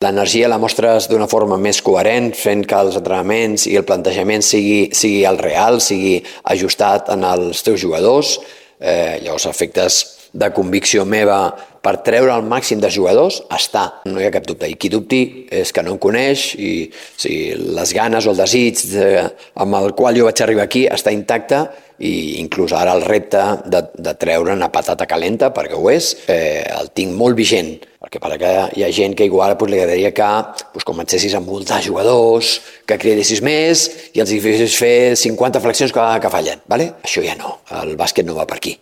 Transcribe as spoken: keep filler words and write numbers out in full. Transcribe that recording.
L'energia la mostres d'una forma més coherent, fent que els entrenaments i el plantejament sigui, sigui el real, sigui ajustat en els teus jugadors. Eh, llavors, efectes de convicció meva per treure el màxim de jugadors està, no hi ha cap dubte. I qui dubti és que no em coneix i si les ganes o el desig de, amb el qual jo vaig arribar aquí està intacte, i inclús ara el repte de, de treure una patata calenta, perquè ho és, eh, el tinc molt vigent, perquè per que hi ha gent que igual pues, li agradaria que pues, comencessis a muntar jugadors, que cridessis més i els hi fessis fer cinquanta flexions que, que fallen. ¿Vale? Això ja no, el bàsquet no va per aquí.